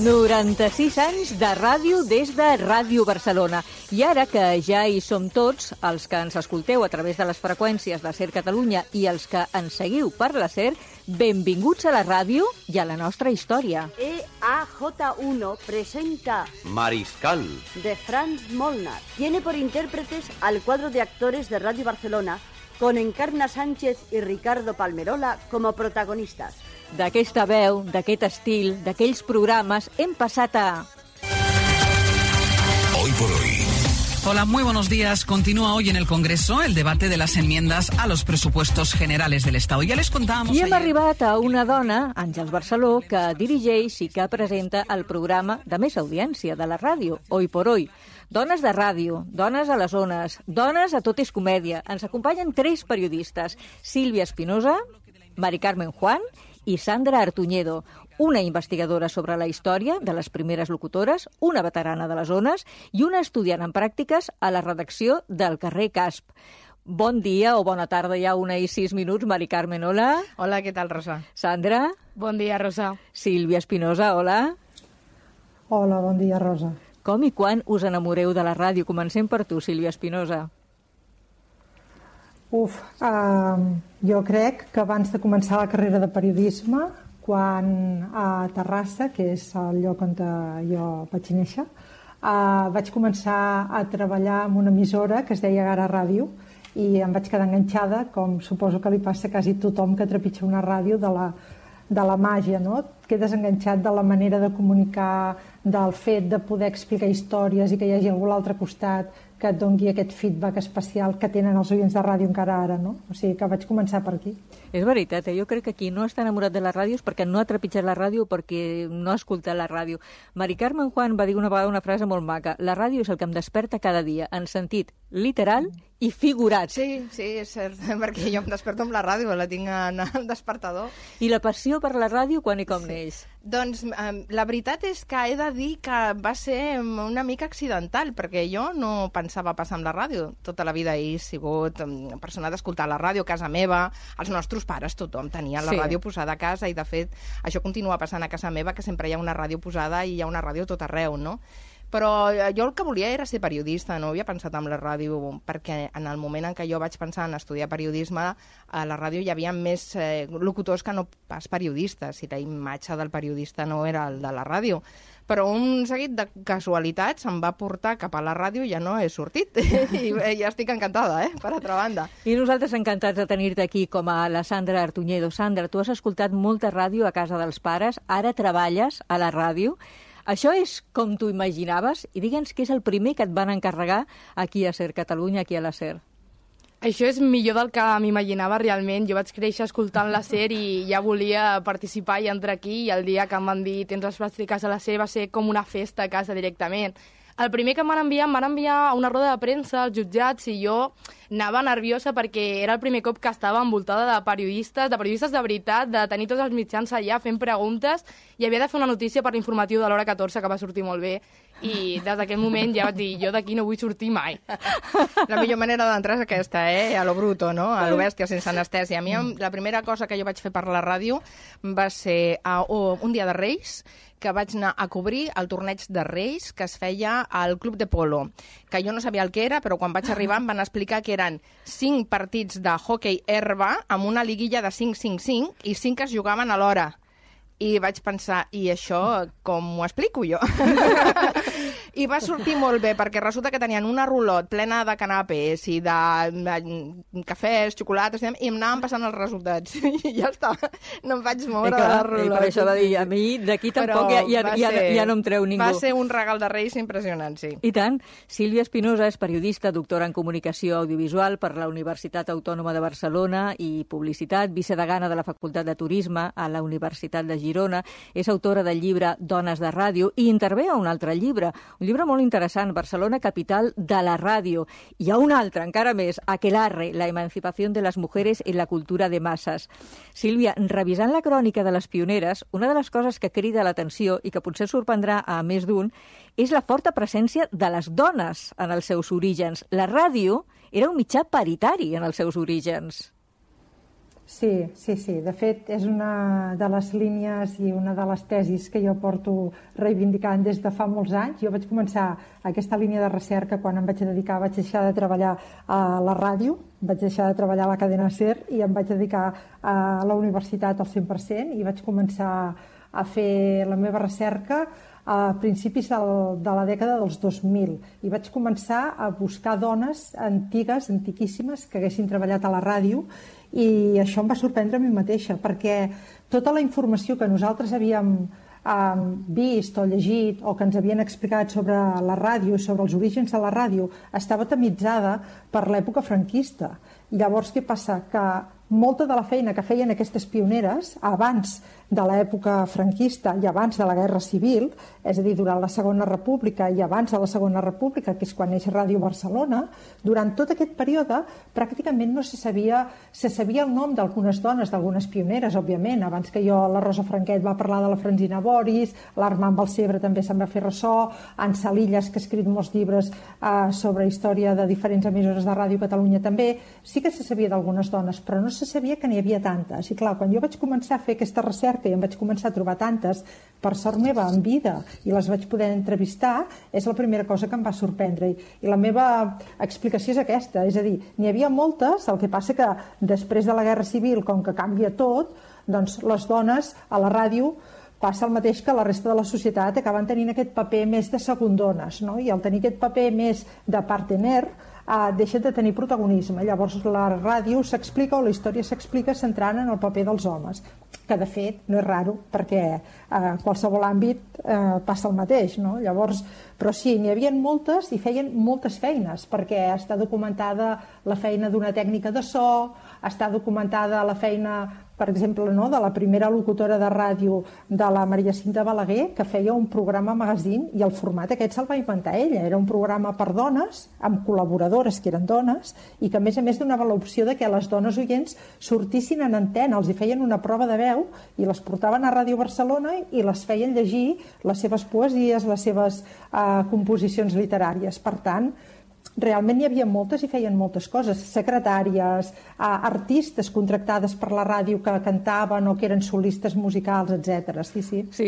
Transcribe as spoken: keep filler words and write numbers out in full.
noranta-sis anys de ràdio des de Ràdio Barcelona. I ara que ja hi som tots, els que ens escolteu a través de les freqüències de SER Catalunya i els que ens seguiu per la SER, benvinguts a la ràdio i a la nostra història. E A J uno presenta Mariscal, de Franz Molnar. Tiene por intérpretes al cuadro de actores de Radio Barcelona, con Encarna Sánchez y Ricardo Palmerola como protagonistas. D'aquesta veu, d'aquest estil, d'aquells programes, hem passat a... Hoy por hoy. Hola, muy buenos días. Continúa hoy en el Congreso el debate de las enmiendas a los presupuestos generales del Estado. Ya les contábamos I hem ayer... arribat a una dona, Àngels Barceló, que dirigeix i que presenta el programa de més audiència de la ràdio, Hoy por Hoy. Dones de ràdio, dones a les zones, dones a Tot és comèdia. Ens acompanyen tres periodistes, Sílvia Espinosa, Mari Carmen Juan i Sandra Artuñedo, una investigadora sobre la història de les primeres locutores, una veterana de les zones i una estudiant en pràctiques a la redacció del carrer Casp. Bon dia o bona tarda, ja una i sis minuts. Mari Carmen, hola. Hola, què tal, Rosa? Sandra. Bon dia, Rosa. Sílvia Espinosa, hola. Hola, bon dia, Rosa. Com i quan us enamoreu de la ràdio? Comencem per tu, Sílvia Espinosa. Uf, uh, jo crec que abans de començar la carrera de periodisme, quan a Terrassa, que és el lloc on jo vaig néixer, uh, vaig començar a treballar en una emissora que es deia Gara Ràdio i em vaig quedar enganxada, com suposo que li passa a quasi tothom que trepitja una ràdio, de la, de la màgia, no? Et quedes enganxat de la manera de comunicar, del fet de poder explicar històries i que hi hagi algú a l'altre costat que et doni aquest feedback especial que tenen els oients de ràdio encara ara, no? O sigui que vaig començar per aquí. És veritat, eh? Jo crec que qui no està enamorat de les ràdios perquè no ha trepitjat la ràdio, perquè no ha escoltat la ràdio. Mari Carmen Juan va dir una vegada una frase molt maca: la ràdio és el que em desperta cada dia, en sentit literal i figurat. Sí, sí, és cert, perquè jo em desperto amb la ràdio, la tinc en el despertador. I la passió per la ràdio quan i com sí. neix? Doncs eh, la veritat és que he de dir que va ser una mica accidental, perquè jo no pensava passar amb la ràdio. Tota la vida he sigut persona d'escoltar la ràdio a casa meva, els nostres pares, tothom tenia la sí. ràdio posada a casa i, de fet, això continua passant a casa meva, que sempre hi ha una ràdio posada i hi ha una ràdio tot arreu, no? Però jo el que volia era ser periodista, no havia pensat en la ràdio, perquè en el moment en què jo vaig pensar en estudiar periodisme, a la ràdio hi havia més eh, locutors que no pas periodistes, i la imatge del periodista no era el de la ràdio. Però un seguit de casualitats em va portar cap a la ràdio i ja no he sortit. I ja estic encantada, eh, per altra banda. I nosaltres encantats de tenir-te aquí com a la Sandra Artuñedo. Sandra, tu has escoltat molta ràdio a casa dels pares, ara treballes a la ràdio. Això és com tu imaginaves? I digue'ns què és el primer que et van encarregar aquí a SER Catalunya, aquí a la SER. Això és millor del que m'imaginava realment. Jo vaig créixer escoltant la SER i ja volia participar i entrar aquí, i el dia que em van dir tens les pràctiques a la SER va ser com una festa a casa directament. El primer que em van enviar, em van enviar a una roda de premsa als jutjats i jo anava nerviosa perquè era el primer cop que estava envoltada de periodistes, de periodistes de veritat, de tenir tots els mitjans allà fent preguntes, i havia de fer una notícia per l'informatiu de l'hora catorze que va sortir molt bé. I des d'aquell moment ja vaig dir, jo d'aquí no vull sortir mai. La millor manera d'entrar és aquesta, eh? A lo bruto, no? A lo bèstia, sense anestèsia. A mi la primera cosa que jo vaig fer per la ràdio va ser a, oh, un dia de Reis, que vaig anar a cobrir el torneig de Reis que es feia al Club de Polo, que jo no sabia el que era, però quan vaig arribar em van explicar que eren cinc partits de hoquei herba amb una liguilla de cinc cinc cinc i cinc que es jugaven alhora. I vaig pensar, i això com ho explico jo? I va sortir molt bé, perquè resulta que tenien una rulot plena de canapés i de, de cafès, xocolates, i em anaven passant els resultats. I ja està, no em vaig moure de la rulot. I per això va dir, a mi d'aquí tampoc ja, ja, ja, ja no em treu ningú. Va ser un regal de Reis impressionant, sí. I tant. Sílvia Espinosa és periodista, doctora en comunicació audiovisual per la Universitat Autònoma de Barcelona i publicitat, vicedegana de la Facultat de Turisme a la Universitat de Girona. És autora del llibre Dones de ràdio i intervé a un altre llibre, un llibre molt interessant, Barcelona, capital de la ràdio. Hi ha un altre, encara més, Aquelarre, la emancipació de les mujeres en la cultura de masses. Sílvia, revisant la crònica de les pioneres, una de les coses que crida l'atenció i que potser sorprendrà a més d'un és la forta presència de les dones en els seus orígens. La ràdio era un mitjà paritari en els seus orígens. Sí, sí, sí. De fet, és una de les línies i una de les tesis que jo porto reivindicant des de fa molts anys. Jo vaig començar aquesta línia de recerca quan em vaig dedicar, vaig deixar de treballar a la ràdio, vaig deixar de treballar a la cadena SER i em vaig dedicar a la universitat al cent per cent i vaig començar a fer la meva recerca a principis del, de la dècada dels dos mil i vaig començar a buscar dones antigues, antiquíssimes, que haguessin treballat a la ràdio, i això em va sorprendre a mi mateixa, perquè tota la informació que nosaltres havíem eh, vist o llegit o que ens havien explicat sobre la ràdio, sobre els orígens de la ràdio, estava tamitzada per l'època franquista. I llavors què passa? Que molta de la feina que feien aquestes pioneres abans de l'època franquista i abans de la Guerra Civil, és a dir, durant la Segona República i abans de la Segona República, que és quan neix Ràdio Barcelona, durant tot aquest període pràcticament no se sabia, se sabia el nom d'algunes dones, d'algunes pioneres, òbviament. Abans que jo, la Rosa Franquet va parlar de la Francina Boris, l'Armand Balcebre també se'n va fer ressò, en Salillas, que ha escrit molts llibres eh, sobre història de diferents emissores de Ràdio Catalunya també. Sí que se sabia d'algunes dones, però no se sabia que n'hi havia tantes. I clar, quan jo vaig començar a fer aquesta recerca i em vaig començar a trobar tantes, per sort meva, en vida, i les vaig poder entrevistar, és la primera cosa que em va sorprendre. I, i la meva explicació és aquesta, és a dir, n'hi havia moltes, el que passa que després de la Guerra Civil, com que canvia tot, doncs les dones a la ràdio passa el mateix que la resta de la societat, acaben tenint aquest paper més de segundones, no? I al tenir aquest paper més de partener, eh, deixa de tenir protagonisme. Llavors la ràdio s'explica o la història s'explica centrant en el paper dels homes, que de fet no és raro perquè a eh, qualsevol àmbit eh, passa el mateix, no? Llavors, però sí, n'hi havia moltes i feien moltes feines, perquè està documentada la feina d'una tècnica de so, està documentada la feina, per exemple, no, de la primera locutora de ràdio de la Maria Cinta Balaguer, que feia un programa magazine i el format aquest se'l va inventar ella. Era un programa per dones, amb col·laboradores que eren dones, i que a més a més donava l'opció de que les dones oients sortissin en antena, els hi feien una prova de veu i les portaven a Ràdio Barcelona i les feien llegir les seves poesies, les seves eh, composicions literàries. Per tant, realment n'hi havia moltes i feien moltes coses, secretàries, artistes contractades per la ràdio que cantaven o que eren solistes musicals, etcètera. Sí, sí. Sí,